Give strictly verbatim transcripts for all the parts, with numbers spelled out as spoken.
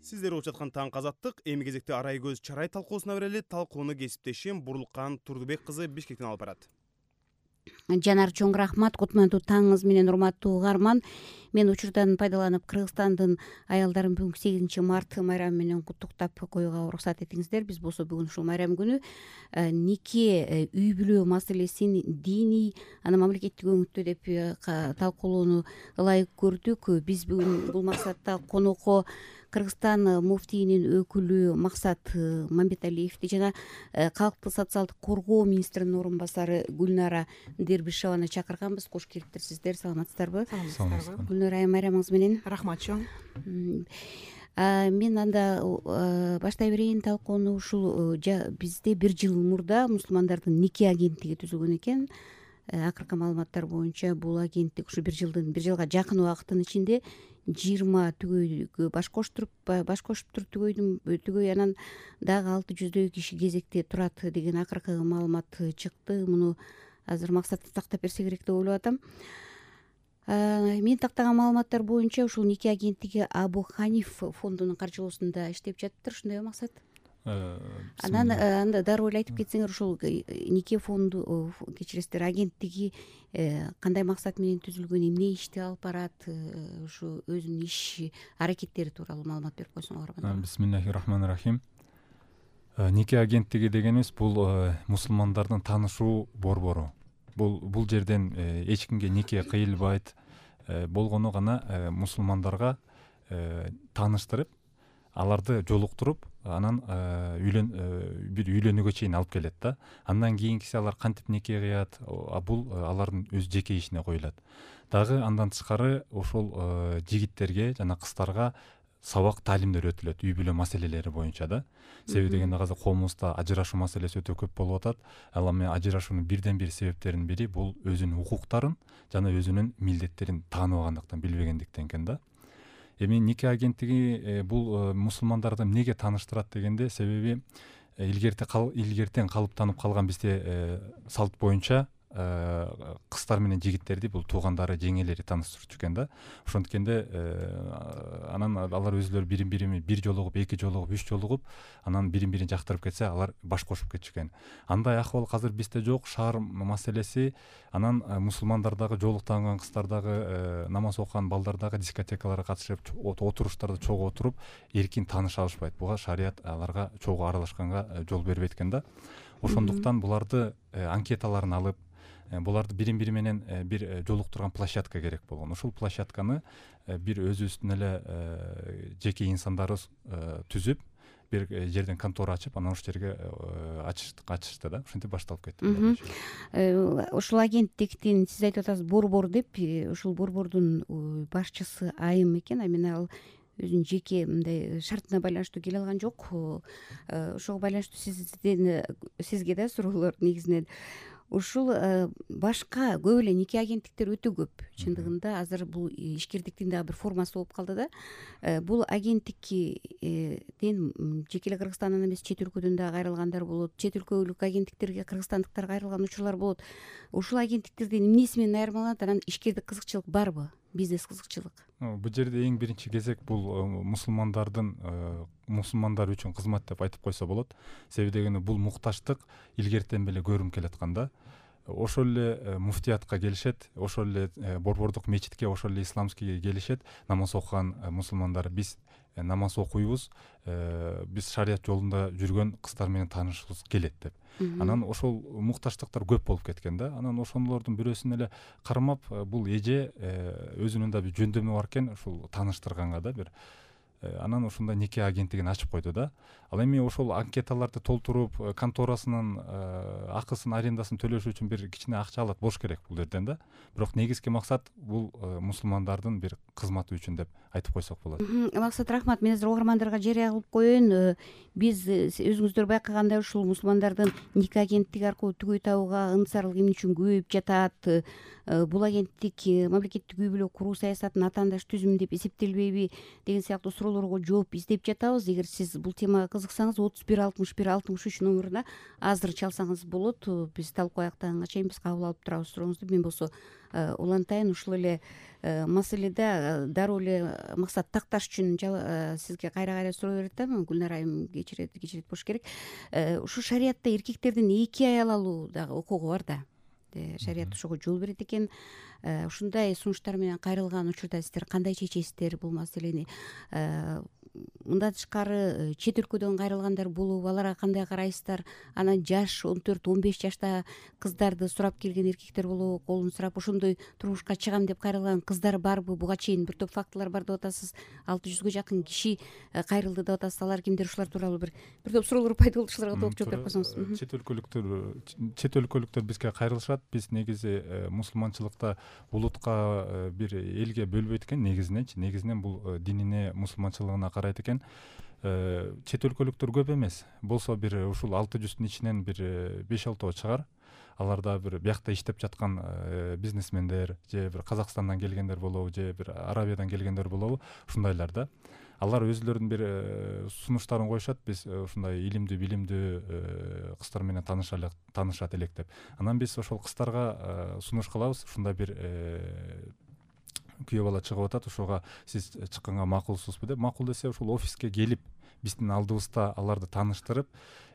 Сиздер угуп жаткан Таңкы Азаттык эми кезекте Арай көз чарай талкуусуна берели. Талкууну кесиптешим Бурлуккан Турдубек кызы Бишкектен алып барат. Жанар, чоң рахмат. Кутмандуу таңыңыз менен, урматтуу угарман. Мен учурдан пайдаланып Кыргызстандын аялдарын бүгүнкү сегизинчи март майрамы менен куттуктап коюуга уруксат этиңиздер. Биз болсо бүгүн ушул майрам күнү нике, үй бүлө маселесин диний, аны мамлекеттик өңүттө деп талкуулоону ылайык көрдүк. Биз бүгүн бул максатта конокко Кыргызстан муфтийинин өкүлү Максат Мамбеталиевди жана калктык социалдык коргоо министринин орун басары Гүлнара Дербишеваны чакырганбыз. Кош келиптир сиздер, саламатсыздарбы? Саламатсыздарбы. Гүлнара айым, майрамыңыз менен. Рахмат чоң. Мен анда баштай берейин талкууну. Ушул бизде бир жыл мурда мусулмандардын нике агенттиги түзүлгөн экен. Акыркы маалыматтар боюнча бул агенттик ушу бир жылдын бир жылга жакын убакыттын ичинде жыйырма түгөйгө баш коштуруп баш кошуптур түгөйдүн түгөй анан дагы алты жүздөй киши кезекте турат деген акыркы маалымат чыкты. Муну азыр Максат тактап берсе керек деп ойлоп атам. Мен тактаган маалыматтар боюнча ушул нике агенттиги Абу Ханиф фондунун каржылоосунда иштеп жатыптыр, ошондойбу Максат? Анан анда дароо эле айтып кетсеңер, ушул нике фонду кечиресиздер агенттиги кандай максат менен түзүлгөн, эмне ишти алып барат, ушу өзүнүн иш аракеттери тууралуу маалымат берип койсоңор. Бисмиллахир-рахманир-рахим. Нике агенттиги дегенибиз бул мусулмандардын таанышуу борбору. Бул бул жерден эч кимге нике кыйылбайт, болгону гана мусулмандарга тааныштырып, аларды жолуктуруп, анан үйлөн бир үйлөнүүгө чейин алып келет да. Андан кийинкиси алар кантип нике кыят, бул алардын өз жеке ишине коюлат. Дагы андан тышкары ошол жигиттерге жана кыздарга сабак таалимдер өтүлөт үй бүлө маселелери боюнча да. Себеби дегенде азыр коомубузда ажырашуу маселеси өтө көп болуп атат. Ал эми ажырашуунун бирден бир себептеринин бири бул өзүнүн укуктарын жана өзүнүн милдеттерин тааныбагандыктан, билбегендиктен экен да. Эми нике агенттиги бул мусулмандарды эмнеге тааныштырат дегенде, себеби илгерте илгертен калыптанып калган бизде салт боюнча кыздар менен жигиттерди бул туугандары, жеңелери тааныштырчу экен да. Ошондукенде анан алар өзүлөрү бирин бири бир жолугуп, эки жолугуп, үч жолугуп, анан бирин бирин жактырып кетсе, алар баш кошуп кетчү экен. Андай акыбал азыр бизде жок, шаар маселеси. Анан мусулмандардагы жолуктанган кыздардагы, намаз окуган балдардагы дискотекаларга катышып, отуруштарда чогуу отуруп, эркин тааныша алышпайт. Буга шарият аларга чогуу аралашканга жол бербейт экен да. Ошондуктан буларды анкеталарын алып, буларды бирин бири менен бир жолуктурган площадка керек болгон. Ушул площадканы бир өзүбүздүн эле жеке инсандарыбыз түзүп, бир жерден контора ачып, анан ошол жерге ачыштык ачышты да. Ошентип башталып кетти. Ушул агенттиктин, сиз айтып атасыз, борбор деп, ушул борбордун башчысы айым экен. Эми ал өзүнүн жеке мындай шартына байланыштуу келе алган жок. Ошого байланыштуу сизден сизге да суроолор негизинен. Ушул башка көп эле нике агенттиктер өтө көп. Чындыгында азыр бул ишкердиктин дагы бир формасы болуп калды да. Бул агенттиктен жеке эле Кыргызстандан эмес, чет өлкөдөн дагы кайрылгандар болот. Чет өлкөлүк агенттиктерге кыргызстандыктар кайрылган учурлар болот. Ушул агенттиктердин эмнеси менен айырмаланат? Анан ишкердик кызыкчылык барбы? Бизнес кызыкчылык? Бул жерде эң биринчи кезек бул мусулмандардын мусулмандар үчүн кызмат деп айтып койсо болот. Себеби дегенде бул мукташтык илгертен беле көрүнүп келаткан да. Ошол эле муфтиятка келишет, ошол эле борбордук мечитке, ошол эле исламскийге келишет, намаз окуган мусулмандар. Биз намаз окуйбуз, биз шарият жолунда жүргөн кыздар менен таанышыбыз келет деп. Анан ошол мукташтыктар көп болуп кеткен да. Анан ошолордун бирөөсүн эле кармап, бул эже өзүнүн да бир жөндөмү бар экен, ушул тааныштырганга да бир. Анан ошондой нике агенттигин ачып койду да. Ал эми ошол анкеталарды толтуруп, конторасынын акысын, арендасын төлөш үчүн бир кичине акча алат болуш керек бул жерден да. Бирок негизги максат бул мусулмандардын бир кызматы үчүн деп айтып койсок болот. Максат, рахмат. Мен азыр угармандарга жарыя кылып коеюн. Биз өзүңүздөр байкагандай ушул мусулмандардын нике агенттиги аркылуу түгөй табууга ынтызарлык эмне үчүн көбөйүп жатат? Бул агенттик мамлекеттик үй бүлө куруу саясатын атаандаш түзүм деп эсептелбейби деген сыяктуу суроолорго жооп издеп жатабыз. Эгер сиз бул темага кызыксаңыз отуз бир алтымыш бир алтымыш үч номуруна азыр чалсаңыз болот. Биз талкуу аяктаганга чейин биз кабыл алып турабыз сурооңузду. Мен болсо улантайын, ушул эле маселеде дароо эле Максат такташ үчүн сизге кайра кайра суроо берип атам. Гүлнар айым кечирет кечирет болуш керек. Ушу шариятта эркектердин эки аял алуу дагы укугу бар да. Шарият ошого жол берет экен. Ушундай сунуштар менен кайрылган учурда сиздер кандай чечесиздер бул маселени? Мындан тышкары чет өлкөдөн кайрылгандар болуп, аларга кандай карайсыздар? Анан жаш он төрт он беш жашта кыздарды сурап келген эркектер болобу, колун сурап ошондой турмушка чыгам деп кайрылган кыздар барбы? Буга чейин бир топ фактылар бар деп атасыз. алты жүзгө жакын киши кайрылды деп атасыз. Алар кимдер? Ушулар тууралуу бир бир топ суроолор пайда болду. Ушуларга толук жооп берип койсоңуз. Чет өлкөлүктөр чет өлкөлүктөр бизге кайрылышат. Биз негизи мусулманчылыкта улутка бир элге бөлбөйт экен негизиненчи. Негизинен бул динине, мусулманчылыгына карайт экен. Чет өлкөлүктөр көп эмес. Болсо бир ушул алты жүздүн ичинен бир беш алтоо чыгар. Аларда бир биякта иштеп жаткан бизнесмендер же бир Казакстандан келгендер болобу, же бир Арабиядан келгендер болобу, ушундайлар да. Алар өзүлөрүнүн бир сунуштарын коюшат. Биз ушундай илимдүү, билимдүү кыздар менен таанышалык, таанышат элек деп. Анан биз ошол кыздарга сунуш кылабыз. Ушундай бир күйөө бала чыгып атат, ошого сиз чыкканга макулсузбу деп. Макул десе ушул офиске келип биздин алдыбызда аларды тааныштырып,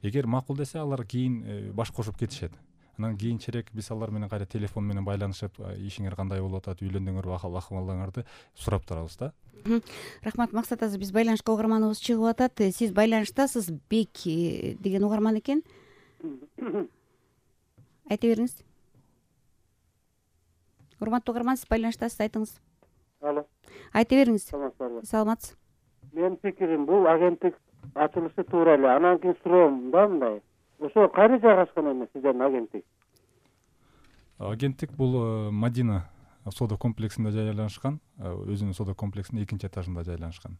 эгер макул десе алар кийин баш кошуп кетишет. Анан кийинчерээк биз алар менен кайра телефон менен байланышып, ишиңер кандай болуп атат, үйлөндүңөрбү, акыл-акыбалыңарды сурап турабыз да. Рахмат Максат азыр биз байланышка угарманыбыз чыгып атат. Сиз байланыштасыз, Бек деген угарман экен. Айта бериңиз. Урматтуу угарман, сиз байланыштасыз, айтыңыз. Алло. Айта бериңиз. Саламатсызбы? Саламатсыз. Менин пикирим бул агенттик ачылышы туура эле. Анан кийин суроом да мындай. Ошо кайда жайгашкан эмес сиздердин агенттик? Агенттик бул Мадина соода комплексинде жайланышкан, өзүнүн соода комплексинин экинчи этажында жайланышкан.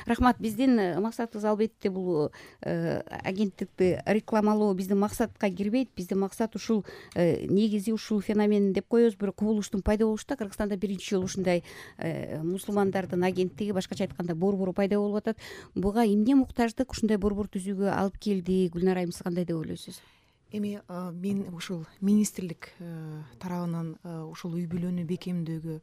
Рахмат. Биздин максатыбыз албетте бул агенттикти рекламалоо биздин максатка кирбейт. Биздин максат ушул негизи ушул феномен деп коебуз, бир кубулуштун пайда болушта. Кыргызстанда биринчи жолу ушундай мусулмандардын агенттиги, башкача айтканда борбору пайда болуп атат. Буга эмне муктаждык ушундай борбор түзүүгө алып келди? Гүлнар айым, сиз кандай деп ойлойсуз? Эми мен ушул министрлик тарабынан ушул үй бүлөнү бекемдөөгө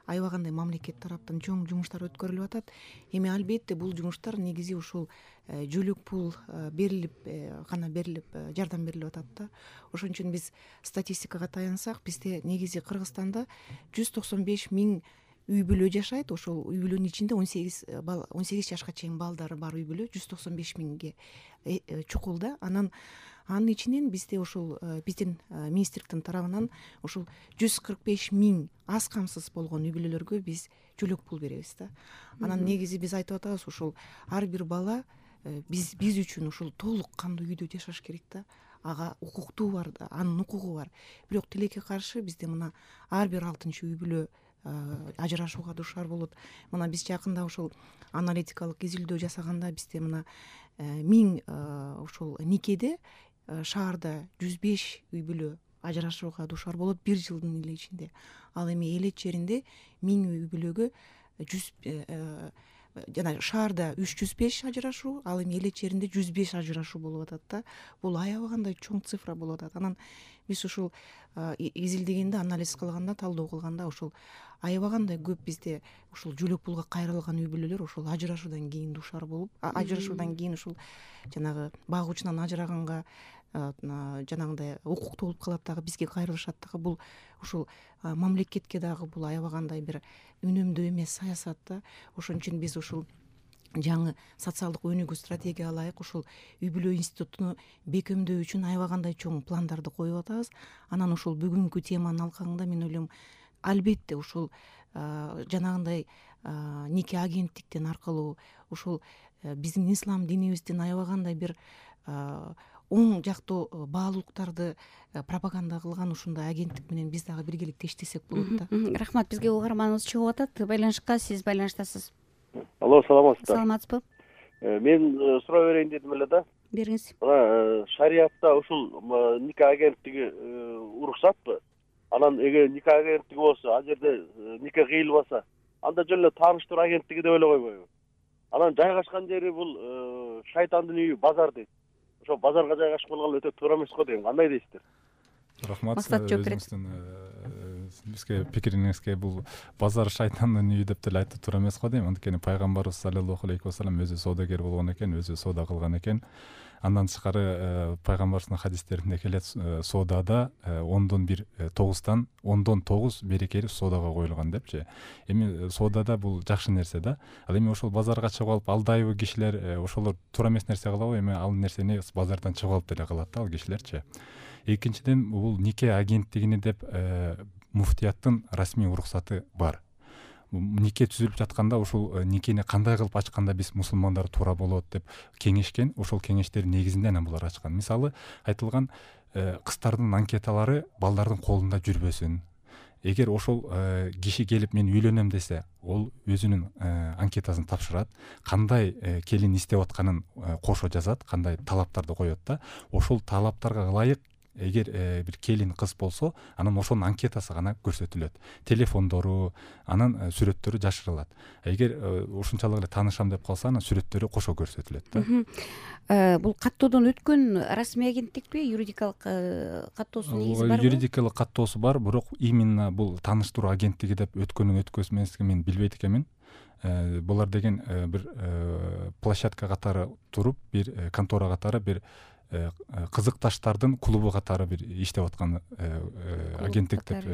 аябагандай мамлекет тараптан чоң жумуштар өткөрүлүп атат. Эми албетте бул жумуштар негизи ушул жөлөк пул берилип гана берилип жардам берилип атат да. Ошон үчүн биз статистикага таянсак, бизде негизи Кыргызстанда жүз токсон беш миң үй бүлө жашайт. Ошол үй бүлөнүн ичинде он сегиз он сегиз жашка чейин балдары бар үй бүлө жүз токсон беш миңге чукул да. Анан анын ичинен бизде ушул биздин министрликтин тарабынан ушул жүз кырк беш миң аз камсыз болгон үй бүлөлөргө биз жөлөк пул беребиз да. Анан негизи биз айтып атабыз, ушул ар бир бала биз биз үчүн ушул толук кандуу үйдө жашаш керек да. Ага укуктуу бар, анын укугу бар. Бирок тилекке каршы бизде мына ар бир алтынчы үй бүлө ажырашууга дуушар болот. Мына биз жакында ушул аналитикалык изилдөө жасаганда бизде мына миң ушул никеде шаарда жүз беш үй бүлө ажырашууга дуушар болот бир жылдын эле ичинде. Ал эми элет жеринде миң үй бүлөгө жүз жана шаарда үч жүз беш ажырашуу, ал эми элет жеринде жүз беш ажырашуу болуп атат да. Бул аябагандай чоң цифра болуп атат. Анан биз ушул изилдегенде, анализ кылганда, талдоо кылганда ушул аябагандай көп бизде ушул жөлөк пулга кайрылган үй бүлөлөр ушул ажырашуудан кийин дуушар болуп, ажырашуудан кийин ушул жанагы багуучунан ажыраганга жанагындай укуктуу болуп калат дагы, бизге кайрылышат дагы. Бул ушул мамлекетке дагы бул аябагандай бир үнөмдүү эмес саясат да. Ошон үчүн биз ушул жаңы социалдык өнүгүү стратегия ылайык ушул үй бүлө институтуну бекемдөө үчүн аябагандай чоң пландарды коюп атабыз. Анан ушул бүгүнкү теманын алкагында мен ойлойм, албетте ушул жанагындай нике агенттиктин аркылуу ушул биздин ислам динибиздин аябагандай бир оң жактуу баалуулуктарды пропаганда кылган ушундай агенттик менен биз дагы биргеликте иштесек болот да. Рахмат. Бизге угарманыбыз чыгып атат. Байланышка сиз байланыштасыз. Алло, саламатсызбы? Саламатсызбы? Мен суроо берейин дедим эле да. Бериңиз. Мына шариятта ушул нике агенттиги уруксатпы? Анан эгер нике агенттиги болсо, ал жерде нике кыйылбаса, анда жөн эле тааныштыруу агенттиги деп эле койбойбу? Анан жайгашкан жери бул шайтандын үйү базар дейт. Ошо базарга жайгашып калгалы өтө туура эмес го дейм. Кандай дейсиздер? Рахмат. Максат жооп берет. Бизге пикириңизге бул базар шайтандын үйү деп деле айтып туура эмес го дейм. Анткени пайгамбарыбыз саллаллаху алейхи вассалам өзү соодагер болгон экен, өзү соода кылган экен. Андан тышкары пайгамбарыбыздын хадистеринде келет, соодада ондон бир тогуздан ондон тогуз берекелүү соодага коюлган депчи. Эми соодада бул жакшы нерсе да. Ал эми ошол базарга чыгып алып алдайбы кишилер, ошолор туура эмес нерсе кылабы? Эми ал нерсени базардан чыгып алып деле кылат да ал кишилерчи. Экинчиден, бул нике агенттигине деп муфтияттын расмий уруксаты бар. Нике түзүлүп жатканда ушул никени кандай кылып ачканда биз мусулмандар туура болот деп кеңешкен. Ошол кеңештердин негизинде анан булар ачкан. Мисалы айтылган кыздардын анкеталары балдардын колунда жүрбөсүн. Эгер ошол киши келип мен үйлөнөм десе, ол өзүнүн анкетасын тапшырат, кандай келин издеп атканын кошо жазат, кандай талаптарды коет да. Ошол талаптарга ылайык эгер бир келин кыз болсо, анан ошонун анкетасы гана көрсөтүлөт. Телефондору, анан сүрөттөрү жашырылат. Эгер ушунчалык эле таанышам деп калса, анан сүрөттөрү кошо көрсөтүлөт да. Бул каттоодон өткөн расмий агенттикпи, юридикалык каттоосунун негизи барбы? Юридикалык каттоосу бар, бирок именно бул тааныштыруу агенттиги деп өткөнүн өткөзмөсүн мен билбейт экенмин. Булар деген бир площадка катары туруп, бир контора катары, бир кызыкташтардын клубу катары бир иштеп аткан агенттик деп.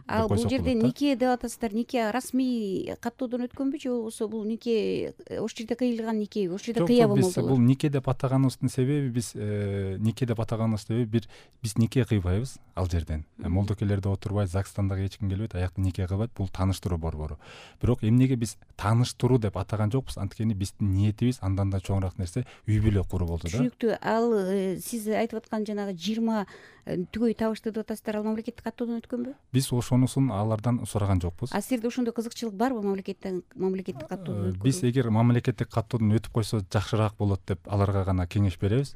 Ал бул жерде нике деп атасыздар, нике расмий каттоодон өткөнбү же болбосо бул нике ошол жерде кыйылган нике, ошол жерде кыябы молдолор? Бул нике деп атаганыбыздын себеби, биз нике деп атаганыбыздын себеби бир биз нике кыйбайбыз ал жерден. Молдокелерде отурбайт, ЗАГСтан дагы эч ким келбейт, аякта нике кылбайт. Бул тааныштыруу борбору. Бирок эмнеге биз тааныштыруу деп атаган жокпуз? Анткени биздин ниетибиз андан да чоңураак нерсе үй бүлө куруу болду да. Ал сиз айтып аткан жанагы жыйырма түгөй табышты деп атасыздар, ал мамлекеттик каттоодон өткөнбү? Биз ошонусун алардан сураган жокпуз. А силерде ошондой кызыкчылык барбы мамлекеттен мамлекеттик каттоодон өткөрүү? Биз эгер мамлекеттик каттоодон өтүп койсо жакшыраак болот деп аларга гана кеңеш беребиз.